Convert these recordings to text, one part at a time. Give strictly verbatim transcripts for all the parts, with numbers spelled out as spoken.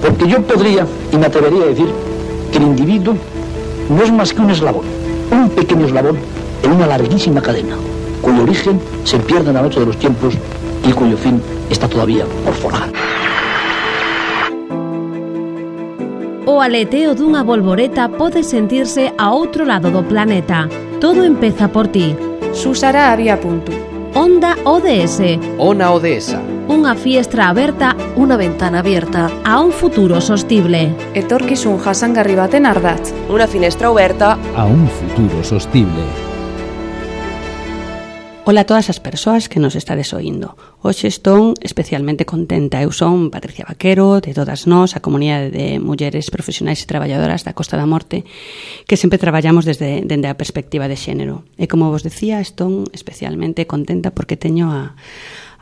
Porque yo podría, y me atrevería a decir, que el individuo no es más que un eslabón, un pequeño eslabón en una larguísima cadena, cuyo origen se pierde en la noche de los tiempos y cuyo fin está todavía por forjar. O aleteo dunha bolboreta pode sentirse a outro lado do planeta. Todo empeza por ti. Susara había punto. Onda O D S. Ona Odesa. Unha fiestra aberta, unha ventana abierta a un futuro sostible. Etorkizun jasangarri baten ardatz. Unha finestra aberta a un futuro sostible. Ola a todas as persoas que nos estades oindo. Hoxe estou especialmente contenta. Eu son Patricia Vaquero, de todas nós, a comunidade de mulleres profesionais e traballadoras da Costa da Morte, que sempre traballamos desde, desde a perspectiva de xénero. E como vos decía, estou especialmente contenta porque teño a,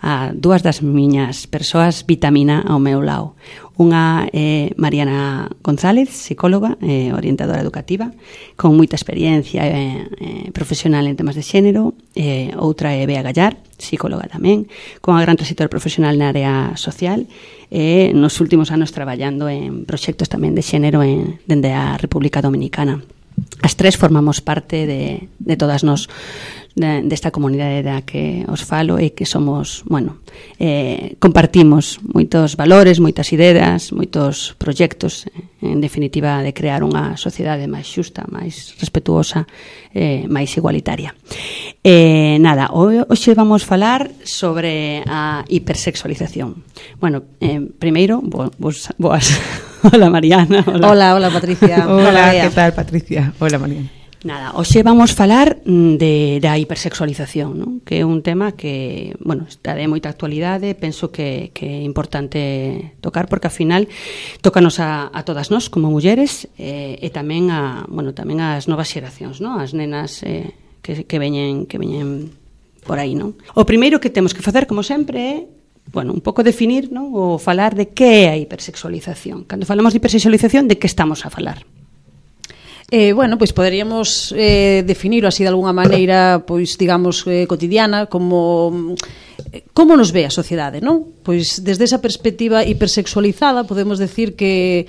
a dúas das miñas persoas vitamina ao meu lado. Unha é eh, Mariana González, psicóloga, eh, orientadora educativa, con moita experiencia eh, eh, profesional en temas de xénero. Eh, outra é Bea Gallar, psicóloga tamén, con a gran trayectoria profesional na área social, e eh, nos últimos anos traballando en proxectos tamén de xénero en, dende a República Dominicana. As tres formamos parte de, de todas nós, de, desta comunidade da que os falo, e que somos, bueno, eh, compartimos moitos valores, moitas ideas, moitos proxectos, en definitiva, de crear unha sociedade máis xusta, máis respetuosa, eh, máis igualitaria. Eh, nada, hoxe vamos falar sobre a hipersexualización. Bueno, eh, primeiro, boas, boas. Hola, Mariana. Hola, hola, hola Patricia. Hola, hola, que tal, Patricia? Hola, Mariana. Nada, hoxe vamos falar de, da hipersexualización, ¿no? Que é un tema que, bueno, está de moita actualidade, penso que, que é importante tocar, porque ao final tócanos a, a todas nós como mulleres, eh, e tamén a, bueno, tamén as novas xeracións, ¿no? As nenas eh, que, que veñen que veñen por aí, ¿no? O primeiro que temos que facer, como sempre, é bueno, un pouco definir, ¿no? O falar de que é a hipersexualización. Cando falamos de hipersexualización, de que estamos a falar? Eh, bueno, pois poderíamos eh, definirlo así de alguna maneira, pois digamos eh, cotidiana, como como nos ve a sociedade, non? Pois desde esa perspectiva hipersexualizada podemos decir que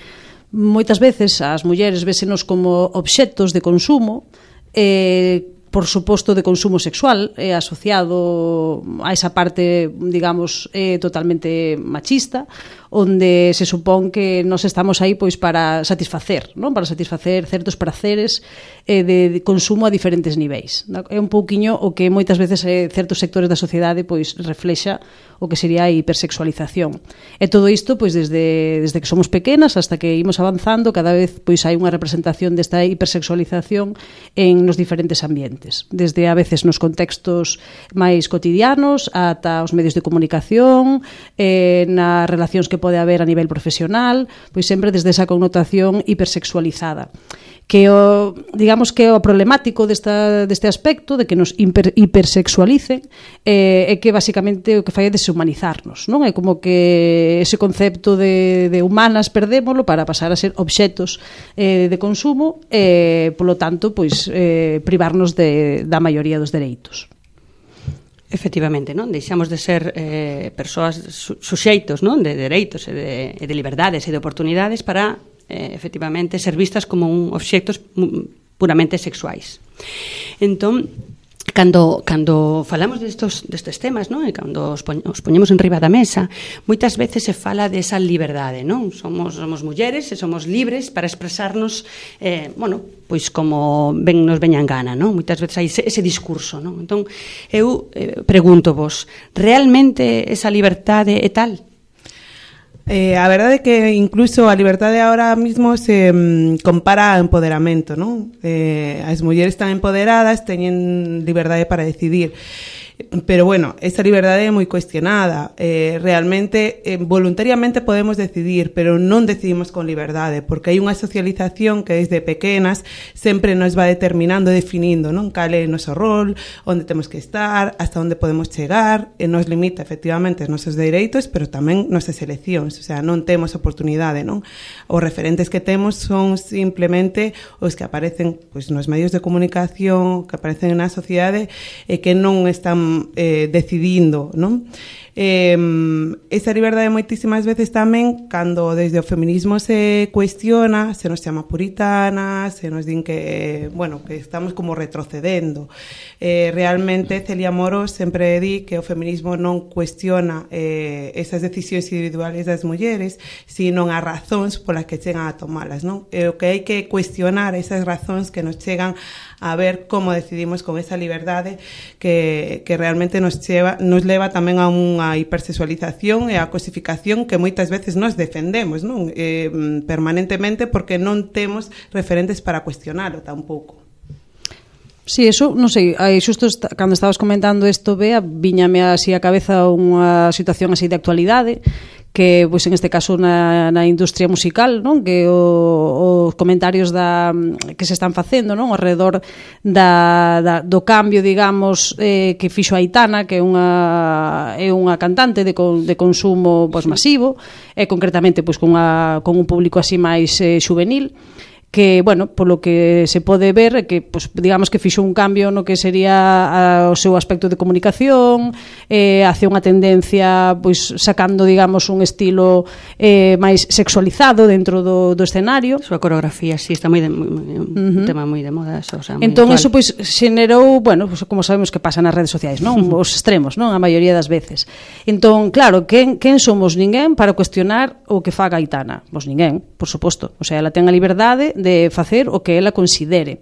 moitas veces as mulleres vésenos como obxectos de consumo, eh, por suposto de consumo sexual, é asociado a esa parte, digamos, eh, totalmente machista, onde se supón que nos estamos aí pois para satisfacer, non? Para satisfacer certos praceres eh, de, de consumo a diferentes niveis. Non? É un pouquiño o que moitas veces eh, certos sectores da sociedade pois reflexa o que sería a hipersexualización. E todo isto pois desde desde que somos pequenas hasta que imos avanzando, cada vez pois hai unha representación desta hipersexualización en nos diferentes ambientes, desde a veces nos contextos máis cotidianos ata os medios de comunicación, eh, nas relacións que pode haber a nivel profesional, pois sempre desde esa connotación hipersexualizada. Que o, digamos que o problemático desta, deste aspecto de que nos hiper, hipersexualicen eh, é que basicamente o que fai é deshumanizarnos, non? É como que ese concepto de, de humanas perdémolo para pasar a ser obxetos eh, de consumo e, eh, polo tanto, pois eh, privarnos de, da maioría dos dereitos. Efectivamente, non? Deixamos de ser eh, persoas su, suxeitos, non? De dereitos e de, e de liberdades e de oportunidades para, eh, efectivamente, ser vistas como un obxectos puramente sexuais. Entón, cando, cando falamos destos, destes temas, non? E cando os, poñ, os poñemos en riba da mesa, moitas veces se fala desa liberdade, non? Somos, somos mulleres e somos libres para expresarnos, eh, bueno, pois como ben nos veñan gana, non? Moitas veces hai ese, ese discurso, non? Entón, eu eh, pregunto vos, realmente esa liberdade é tal? Eh, a verdade é que incluso a liberdade ahora mismo se mm, compara a empoderamento, non? Eh, as mulleres están empoderadas, teñen liberdade para decidir. Pero bueno, esa liberdade é moi cuestionada. Eh, realmente, eh, voluntariamente podemos decidir, pero non decidimos con liberdade, porque hai unha socialización que desde pequenas sempre nos va determinando, definindo, non? Cal é o noso rol, onde temos que estar, hasta onde podemos chegar, e nos limita efectivamente os nosos dereitos, pero tamén nosas eleccións, o sea, non temos oportunidade, non? Os referentes que temos son simplemente os que aparecen pois, nos medios de comunicación, que aparecen na sociedade, e que non están están eh, decidindo, non? Eh, esa liberdade moitísimas veces tamén cando desde o feminismo se cuestiona, se nos chama puritanas, se nos din que, bueno, que estamos como retrocedendo. Eh, realmente Celia Moros sempre di que o feminismo non cuestiona eh, esas decisións individuales das mulleres, sino as razóns polas que chegan a tomalas, non? E o que hai que cuestionar esas razóns que nos chegan a ver como decidimos con esa liberdade que, que realmente nos, cheva, nos leva tamén a unha hipersexualización e a cosificación que moitas veces nos defendemos, non? Eh, permanentemente porque non temos referentes para cuestionalo tampouco. Sí, eso, non sei, aí xusto está, cando estabas comentando isto, Bea, viñame así a cabeza unha situación así de actualidade, que, pois, en este caso na, na industria musical, non? Que o, os comentarios da, que se están facendo, non? Ao redor da, da, do cambio, digamos, eh, que fixo Aitana, que é unha, é unha cantante de, con, de consumo, pois, masivo, e concretamente, pois, con, a, con un público así máis eh, xuvenil, que, bueno, polo que se pode ver, que, pues, digamos que fixo un cambio no que sería a, o seu aspecto de comunicación, eh, hacia unha tendencia, pois, sacando, digamos, un estilo eh, máis sexualizado dentro do, do escenario. A súa coreografía, sí, está moi de, moi, un uh-huh. tema moi de moda, eso, o sea, entón, actual. eso, pois, xenerou, bueno, pues, como sabemos que pasa nas redes sociais, non? Os extremos, non? A maioría das veces. Entón, claro, quen, quen somos ninguén para cuestionar o que faga Aitana? Pois ninguén, por suposto. O sea, ela ten a liberdade de facer o que ela considere.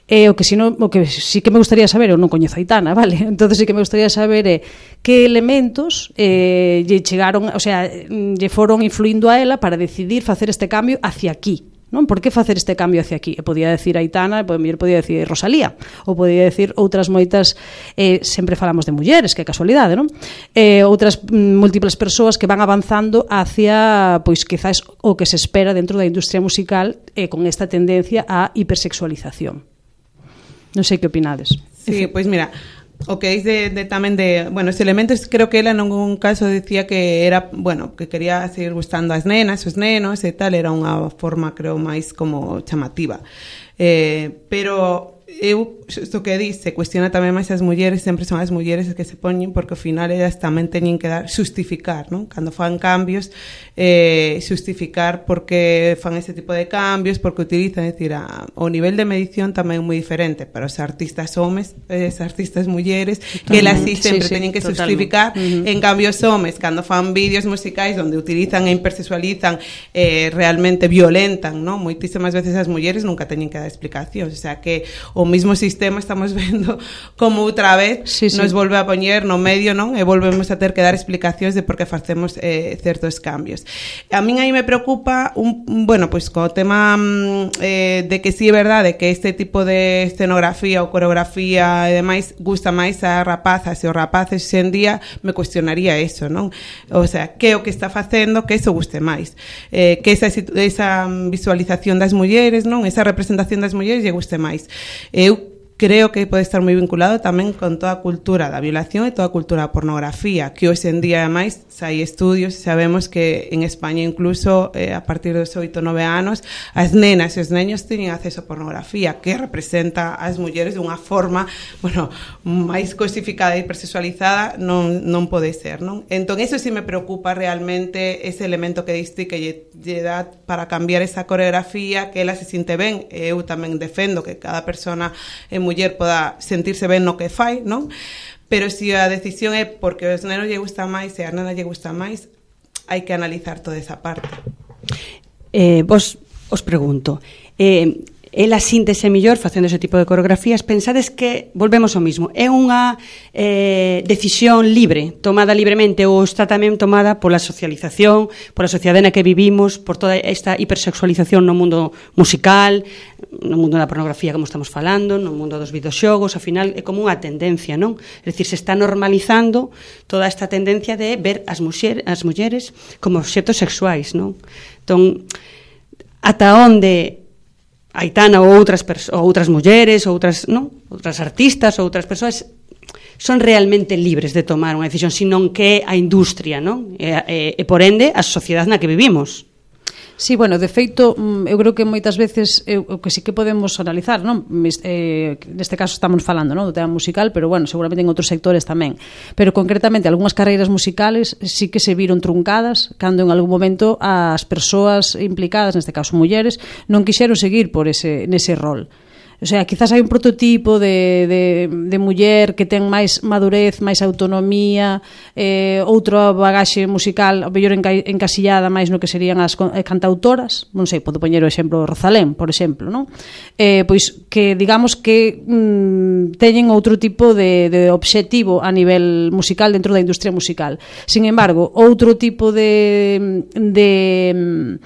E o que si no, o que sí que me gustaría saber, eu non coñezo a Aitana, vale? Entonces sí que me gustaría saber é que elementos eh, lle chegaron, o sea, lle foron influindo a ela para decidir facer este cambio hacia aquí. Non? Por que facer este cambio hacia aquí? E podía decir Aitana, e podía decir Rosalía, ou podía decir outras moitas, eh, sempre falamos de mulleres, que é casualidade, non? Eh, outras mm, múltiples persoas que van avanzando hacia, pois, quizás o que se espera dentro da industria musical, eh, con esta tendencia á hipersexualización. Non sei que opinades. Sí, pois pues mira, o que dice de, tamén de, bueno, os elementos, creo que ela en un caso decía que era, bueno, que quería seguir gustando as nenas, os nenos e tal, era unha forma, creo, máis como chamativa. Eh, pero eu, isto que dice, cuestiona tamén máis as mulleres, sempre son as mulleres que se poñen, porque ao final elas tamén teñen que dar, justificar, non? Cando fan cambios, eh, justificar porque fan ese tipo de cambios, porque utilizan, é dicir, a, o nivel de medición tamén é moi diferente para os artistas homes, as artistas mulleres, que elas sí sempre sí, sí, teñen que justificar, uh-huh. En cambio os homes, cando fan vídeos musicais onde utilizan e hipersexualizan, eh, realmente violentan, non? Moitísimas veces as mulleres nunca teñen que dar explicacións, o sea que o mismo sistema estamos vendo como outra vez sí, sí. Nos volve a poñer no medio, non? E volvemos a ter que dar explicacións de por que facemos eh, certos cambios. A min aí me preocupa un, bueno, pois pues, co tema eh, de que si sí é verdade que este tipo de escenografía ou coreografía e demais gusta máis a rapazas e os rapaces en día, me cuestionaría eso, non? O sea, que o que está facendo que eso guste máis, eh, que esa, esa visualización das mulleres, non? Esa representación das mulleres lle guste máis. Eu creo que pode estar moi vinculado tamén con toda a cultura da violación e toda a cultura da pornografía, que hoxe en día, ademais, hai estudios e sabemos que en España incluso eh, a partir dos oito, nove anos as nenas e os neños teñen acceso a pornografía, que representa as mulleres de unha forma, bueno, máis cosificada e hipersexualizada non, non pode ser, non? Entón, eso sí me preocupa realmente ese elemento que diste que lle, lle dá para cambiar esa coreografía, que ela se sinte ben. Eu tamén defendo que cada persona é muller poda sentirse ben no que fai, non? Pero se a decisión é porque aos nenos lle gusta máis e a nena lle gusta máis, hai que analizar toda esa parte. Eh, vos os pregunto, eh, ela síntese mellor facendo ese tipo de coreografías, pensades que volvemos ao mismo, é unha eh, decisión libre, tomada libremente, ou está tamén tomada pola socialización, pola sociedade na que vivimos, por toda esta hipersexualización no mundo musical, no mundo da pornografía, como estamos falando, no mundo dos videoxogos, ao final é como unha tendencia, non? É dicir, se está normalizando toda esta tendencia de ver as, muxer, as mulleres como obxectos sexuais, non? Entón, ata onde Aitana ou outras ou outras mulleres ou outras, non? Outras artistas ou outras persoas son realmente libres de tomar unha decisión, senón que a industria, non? E, e, e por ende a sociedade na que vivimos. Sí, bueno, de feito, eu creo que moitas veces o que sí que podemos analizar, non? Eh, neste caso estamos falando, non, do tema musical, pero bueno, seguramente en outros sectores tamén. Pero concretamente, algunhas carreiras musicales sí que se viron truncadas cando en algún momento as persoas implicadas, neste caso mulleres, non quixeron seguir por ese nese rol. O sea, quizás hai un prototipo de, de, de muller que ten máis madurez, máis autonomía, eh, outra bagaxe musical, ao mellor enca, encasillada máis no que serían as cantautoras, non sei, podo poñer o exemplo Rosalén, por exemplo, non? Eh, pois que, digamos que mm, teñen outro tipo de, de obxectivo a nivel musical dentro da industria musical. Sin embargo, outro tipo de... de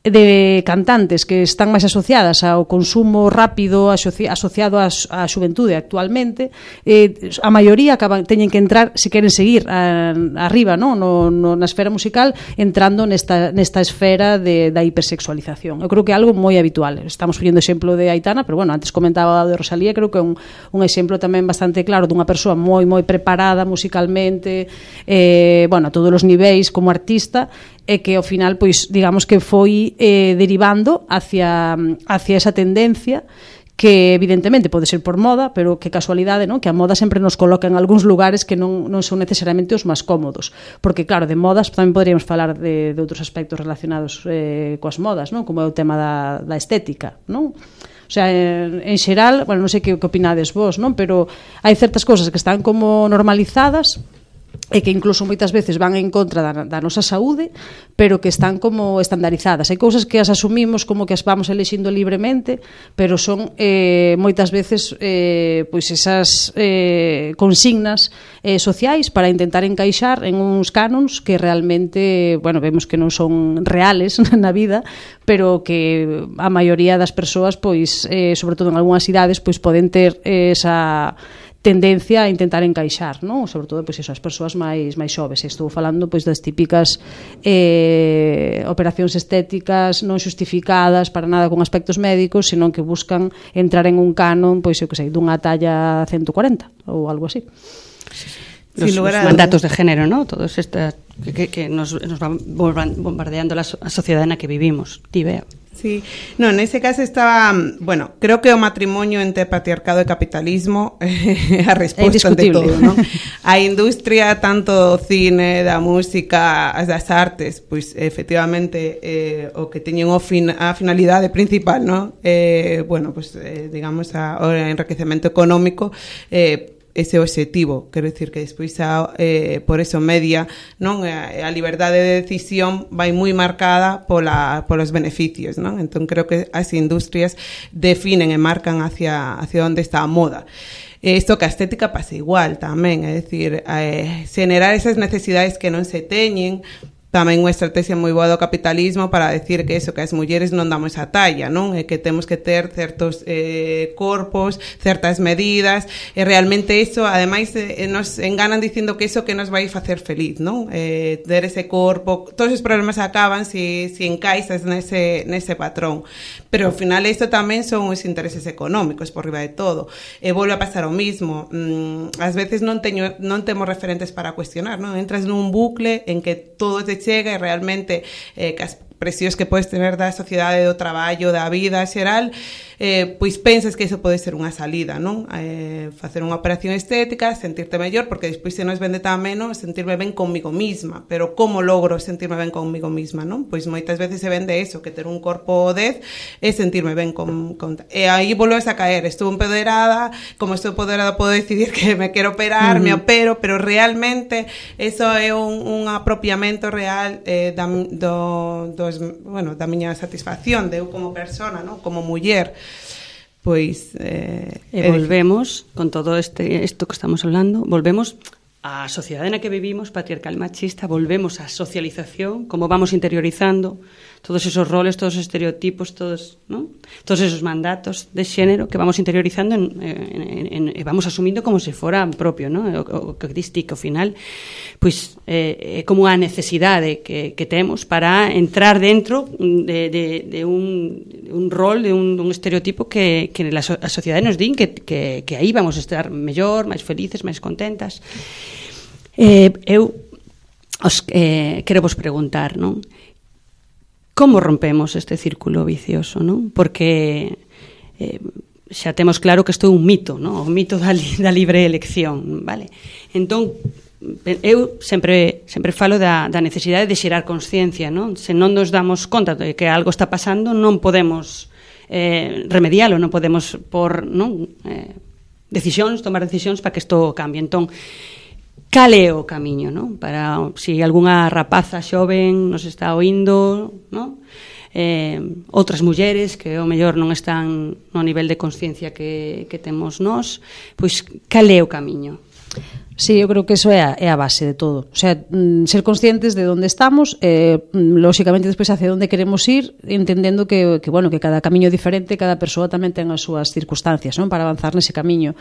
de cantantes que están máis asociadas ao consumo rápido asoci asociado á xuventude actualmente, eh, a maioría acaban, teñen que entrar, se queren seguir a, arriba, no? No, no, na esfera musical, entrando nesta, nesta esfera de, da hipersexualización. Eu creo que é algo moi habitual. Estamos poñendo exemplo de Aitana, pero bueno, antes comentaba de Rosalía, creo que é un, un exemplo tamén bastante claro dunha persoa moi moi preparada musicalmente, eh, bueno, a todos os niveis como artista, e que ao final, pois, digamos que foi eh, derivando hacia, hacia esa tendencia que evidentemente pode ser por moda, pero que casualidade, non? Que a moda sempre nos coloca en algúns lugares que non, non son necesariamente os máis cómodos, porque claro, de modas tamén poderíamos falar de, de outros aspectos relacionados eh, coas modas, non? Como é o tema da, da estética, non? O sea, en, en xeral, bueno, non sei que, que opinades vos, non? Pero hai certas cousas que están como normalizadas e que incluso moitas veces van en contra da, da nosa saúde, pero que están como estandarizadas. Hai cousas que as asumimos como que as vamos elixindo libremente, pero son eh, moitas veces eh, pois esas eh, consignas eh, sociais para intentar encaixar en uns canons que realmente, bueno, vemos que non son reales na vida, pero que a maioría das persoas, pois, eh, sobre todo en algunhas idades, pois poden ter eh, esa tendencia a intentar encaixar, non? Sobre todo, pois, eso, as persoas máis máis xoves. Estou falando, pois, das típicas eh, operacións estéticas non xustificadas para nada con aspectos médicos, senón que buscan entrar en un canon, pois, eu que sei, dunha talla ciento cuarenta ou algo así. Los, los mandatos de género, ¿no? Todos estas que, que nos, nos van bombardeando la, a sociedade na que vivimos. Ti, Bea. Sí, no, en ese caso estaba, bueno, creo que o matrimonio entre patriarcado e capitalismo é a resposta de todo, ¿no? A industria, tanto o cine, da música, as das artes, pois efectivamente eh, o que teñen o fin, a finalidade principal, ¿no? Eh, bueno, pues eh, digamos a, o enriquecemento económico, eh, ese objetivo, quero dicir que despois a, eh, por eso media, non, a, a liberdade de decisión vai moi marcada pola, polos beneficios, non? Entón creo que as industrias definen e marcan hacia, hacia onde está a moda. Isto que a estética pasa igual tamén, é dicir, eh, generar esas necesidades que non se teñen, tamén unha estrategia moi boa do capitalismo para decir que eso, que as mulleres non damos a talla, non? E que temos que ter certos eh, corpos, certas medidas, e realmente eso, ademais, eh, nos enganan dicindo que eso que nos vai facer feliz, non? Eh, ter ese corpo, todos os problemas acaban se si, si encaixas nese, nese patrón. Pero ao final isto tamén son os intereses económicos por riba de todo. E volve a pasar o mismo. Mm, ás veces non teño, non temos referentes para cuestionar, non? Entras nun bucle en que todo te chega e realmente eh, que as presións que podes tener da sociedade, do traballo, da vida xeral, eh, pois pensas que iso pode ser unha salida, non? Eh, facer unha operación estética, sentirte mellor, porque despois se nos vende tamén, non? Sentirme ben comigo misma, pero como logro sentirme ben comigo misma, non? Pois moitas veces se vende eso, que ter un corpo dez é sentirme ben con, con... E aí volves a caer, estou empoderada, como estou empoderada podo decidir que me quero operar, uh-huh. me opero, pero realmente eso é un, un apropiamento real eh, da, do, dos, bueno, da miña satisfacción de eu como persona, non? Como muller. Pois eh, e volvemos con todo este isto que estamos hablando, volvemos á sociedade na que vivimos, patriarcal machista, volvemos á socialización, como vamos interiorizando todos esos roles, todos os estereotipos, todos, ¿no? Todos esos mandatos de xénero que vamos interiorizando en, en, en, en vamos asumindo como se fora propio, ¿no? O, o que diste que ao final pois é eh, como a necesidade que, que temos para entrar dentro de, de, de un, un rol, de un, un estereotipo que, que la, a sociedade nos din que, que, que aí vamos a estar mellor, máis felices, máis contentas. Eh, eu os, eh, quero vos preguntar, non? como rompemos este círculo vicioso, non? Porque eh, xa temos claro que isto é un mito, non? O mito da, li, da libre elección, vale? Entón, eu sempre sempre falo da, da necesidade de xerar consciencia, non? Se non nos damos conta de que algo está pasando, non podemos eh, remedialo, non podemos por, non? Eh, decisións, tomar decisións para que isto cambie. Entón, cal é o camiño, non? Para se si algunha rapaza xoven nos está oindo, non? Eh, outras mulleres que ao mellor non están no nivel de consciencia que, que temos nós, pois cal é o camiño? Sí, eu creo que eso é a, é a base de todo. O sea, ser conscientes de onde estamos, eh, lógicamente despois hacia onde queremos ir, entendendo que, que, bueno, que cada camiño é diferente, cada persoa tamén ten as súas circunstancias, non? Para avanzar nese camiño.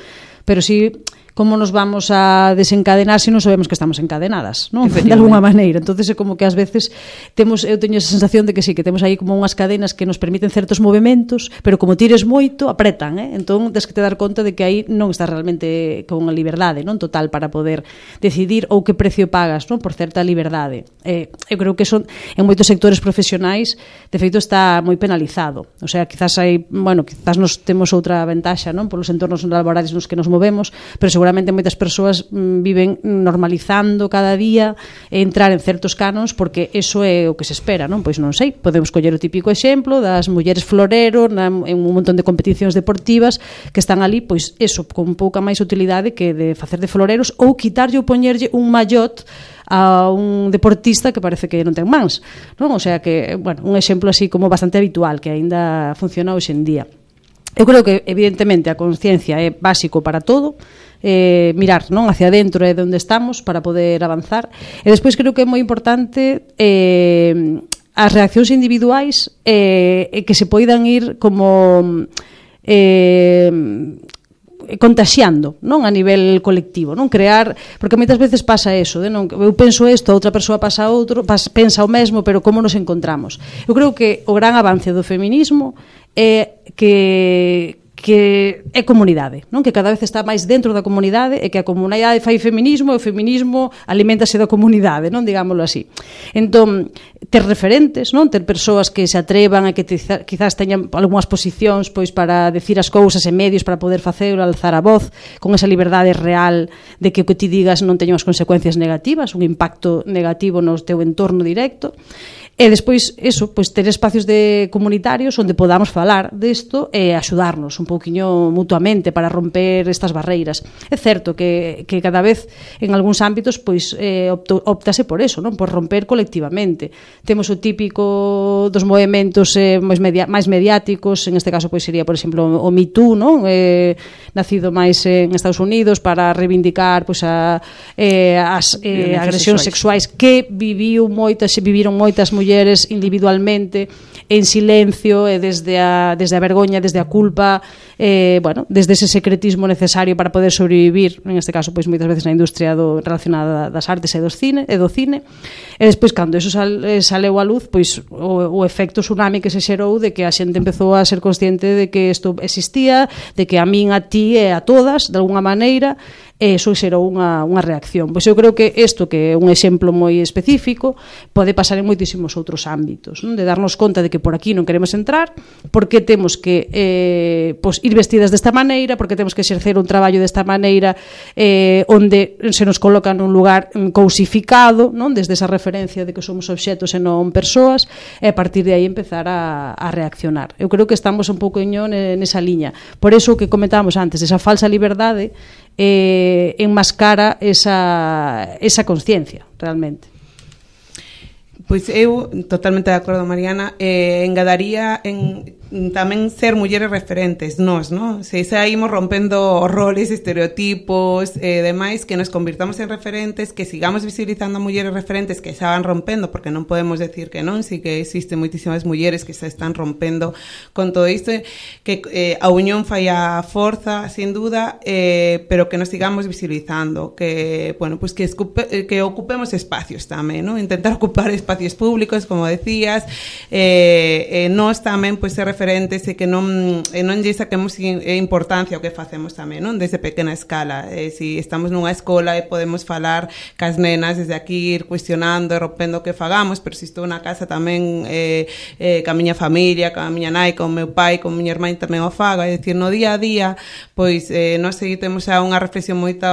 Pero si, como nos vamos a desencadenar se non sabemos que estamos encadenadas, non? De alguna maneira. Entonces é como que ás veces temos, eu teño esa sensación de que sí, que temos aí como unhas cadenas que nos permiten certos movementos, pero como tires moito, apretan, eh? Entón, tens que te dar conta de que aí non estás realmente con a liberdade, non? Total, para poder decidir ou que precio pagas, non? Por certa liberdade. Eh, eu creo que son, en moitos sectores profesionais, de feito está moi penalizado. O sea, quizás hai, bueno, quizás nos temos outra ventaxa, non? Polos entornos laborais nos que nos movemos, pero seguramente moitas persoas mm, viven normalizando cada día entrar en certos canons porque eso é o que se espera, non? Pois non sei, podemos coller o típico exemplo das mulleres florero na, en un montón de competicións deportivas que están ali, pois eso, con pouca máis utilidade que de facer de floreros ou quitarlle ou poñerlle un mallot a un deportista que parece que non ten mans, non? O sea que, bueno, un exemplo así como bastante habitual que aínda funciona hoxe en día. Eu creo que, evidentemente, a consciencia é básico para todo, eh, mirar, non, hacia dentro é onde estamos para poder avanzar. E despois creo que é moi importante eh, as reaccións individuais eh, que se poidan ir como eh, contaxiando, non, a nivel colectivo, non, crear, porque moitas veces pasa eso, de non, eu penso isto, a outra persoa pasa outro, pas, pensa o mesmo, pero como nos encontramos? Eu creo que o gran avance do feminismo é que que é comunidade, non? Que cada vez está máis dentro da comunidade e que a comunidade fai feminismo e o feminismo aliméntase da comunidade, non? Digámoslo así. Entón, ter referentes, non? Ter persoas que se atrevan e que te, quizás teñan algunhas posicións pois para decir as cousas e medios para poder facelo, alzar a voz con esa liberdade real de que o que ti digas non teña unhas consecuencias negativas, un impacto negativo no teu entorno directo. E despois, eso, pois ter espacios de comunitarios onde podamos falar desto e axudarnos un pouquiño mutuamente para romper estas barreiras. É certo que, que cada vez en algúns ámbitos pois eh, opto, optase por eso, non? Por romper colectivamente. Temos o típico dos movementos eh, máis, media, máis mediáticos, en este caso pois sería, por exemplo, o Me Too, non? Eh, nacido máis en Estados Unidos para reivindicar pois a, eh, as eh, agresións sexuais que viviu moitas, viviron moitas mulleres mulleres individualmente en silencio e desde a, desde a vergoña, desde a culpa, eh, bueno, desde ese secretismo necesario para poder sobrevivir, en este caso pois moitas veces na industria do, relacionada das artes e do cine, e do cine. E despois cando eso sal, saleu á luz, pois o, o efecto tsunami que se xerou de que a xente empezou a ser consciente de que isto existía, de que a min, a ti e a todas, de alguna maneira, e iso xerou unha, unha reacción. Pois eu creo que isto, que é un exemplo moi específico, pode pasar en moitísimos outros ámbitos, non? De darnos conta de que por aquí non queremos entrar, porque temos que eh, pois, ir vestidas desta maneira, porque temos que exercer un traballo desta maneira eh, onde se nos coloca nun lugar cousificado, non? Desde esa referencia de que somos obxetos e non persoas, e a partir de aí empezar a, a reaccionar. Eu creo que estamos un pouco nesa liña. Por eso o que comentábamos antes, esa falsa liberdade eh, enmascara esa, esa consciencia, realmente. Pois eu, totalmente de acordo, Mariana, eh, engadaría en tamén ser mulleres referentes, nós, non? Se saímos rompendo roles, estereotipos e eh, demais, que nos convirtamos en referentes, que sigamos visibilizando a mulleres referentes que xa van rompendo, porque non podemos decir que non, si que existen moitísimas mulleres que se están rompendo con todo isto, que eh, a unión fai a forza, sin duda, eh, pero que nos sigamos visibilizando, que, bueno, pues que, escupe, que ocupemos espacios tamén, non? Intentar ocupar espacios públicos, como decías, eh, eh, nós tamén, pues, ser referentes referentes e que non, e non lle saquemos importancia ao que facemos tamén, non? Desde pequena escala. Eh, si estamos nunha escola e podemos falar cas nenas desde aquí, ir cuestionando e rompendo o que fagamos, pero se estou na casa tamén eh, eh, ca miña familia, ca miña nai, con meu pai, con miña irmán tamén o fago, é dicir, no día a día, pois eh, nós seguimos a unha reflexión moito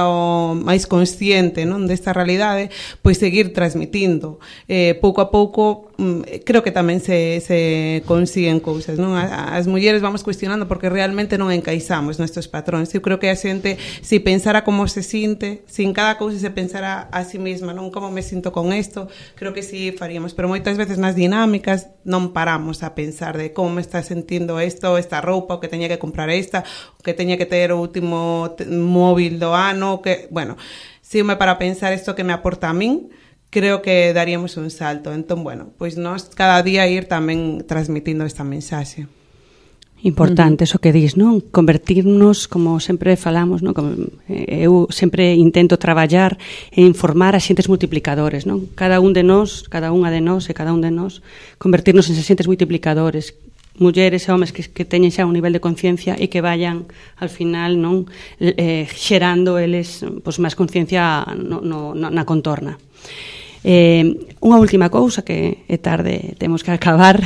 máis consciente, non, desta realidade, pois seguir transmitindo. Eh, pouco a pouco, creo que tamén se, se consiguen cousas, non? As mulleres vamos cuestionando porque realmente non encaixamos nestes patróns. Eu creo que a xente, se pensara como se sinte, se en cada cousa se pensara a si mesma, non, como me sinto con isto, creo que si faríamos, pero moitas veces nas dinámicas non paramos a pensar de como me está sentindo isto, esta roupa, o que teña que comprar esta, o que teña que ter o último móvil do ano, que, bueno, se me para pensar isto que me aporta a min, creo que daríamos un salto. Entón, bueno, pois nós cada día ir tamén transmitindo esta mensaxe. Importante, uh-huh. Eso que dis, non? Convertirnos, como sempre falamos, non? Como, eu sempre intento traballar e informar a xentes multiplicadores, non? Cada un de nós, cada unha de nós e cada un de nós, convertirnos en xentes multiplicadores, mulleres e homes que, que teñen xa un nivel de conciencia e que vayan, al final, non? Eh, xerando eles, pois, máis conciencia no, no, na contorna. Eh, unha última cousa que é tarde, temos que acabar.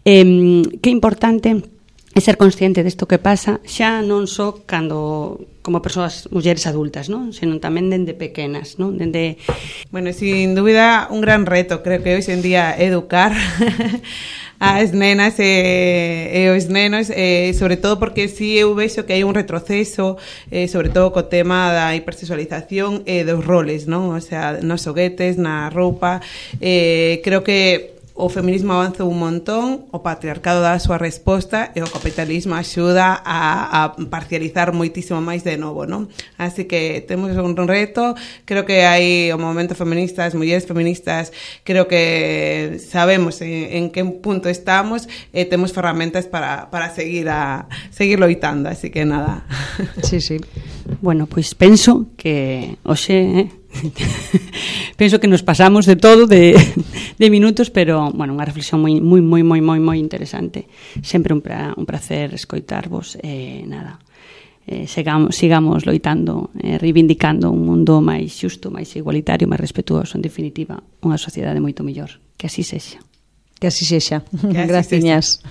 eh, que importante é ser consciente desto que pasa xa non só cando como persoas, mulleres adultas, non? Senón tamén dende pequenas, non? Dende... Bueno, sin dúbida un gran reto, creo que hoxe en día educar as nenas e, e os nenos, eh, sobre todo porque si eu vexo que hai un retroceso, eh, sobre todo co tema da hipersexualización e dos roles, non? O sea, nos xoguetes, na roupa, eh, creo que o feminismo avanzou un montón, o patriarcado dá a súa resposta e o capitalismo axuda a, a parcializar moitísimo máis de novo, non? Así que temos un reto, creo que hai o movimento feminista, as mulleres feministas, creo que sabemos en, en que punto estamos e temos ferramentas para, para seguir a seguir loitando, así que nada. Sí, sí. Bueno, pois penso que hoxe, eh, penso que nos pasamos de todo de, de minutos, pero bueno, unha reflexión moi moi moi moi moi moi interesante. Sempre un pra, un placer escoitarvos e eh, nada. Eh, sigamos, sigamos loitando, eh, reivindicando un mundo máis xusto, máis igualitario, máis respetuoso, en definitiva, unha sociedade moito mellor. Que así sexa. Que así sexa. Graciñas.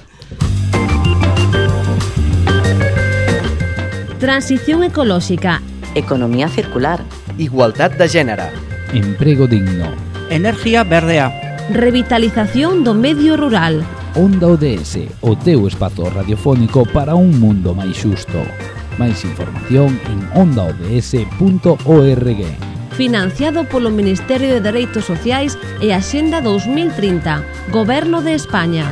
Transición ecolóxica. Economía circular. Igualdad de género. Emprego digno. Energía verdea. Revitalización do medio rural. Onda O D S, o teu espazo radiofónico para un mundo máis xusto. Máis información en onda o d s punto org. Financiado polo Ministerio de Dereitos Sociais e Axenda dos mil trinta, Goberno de España.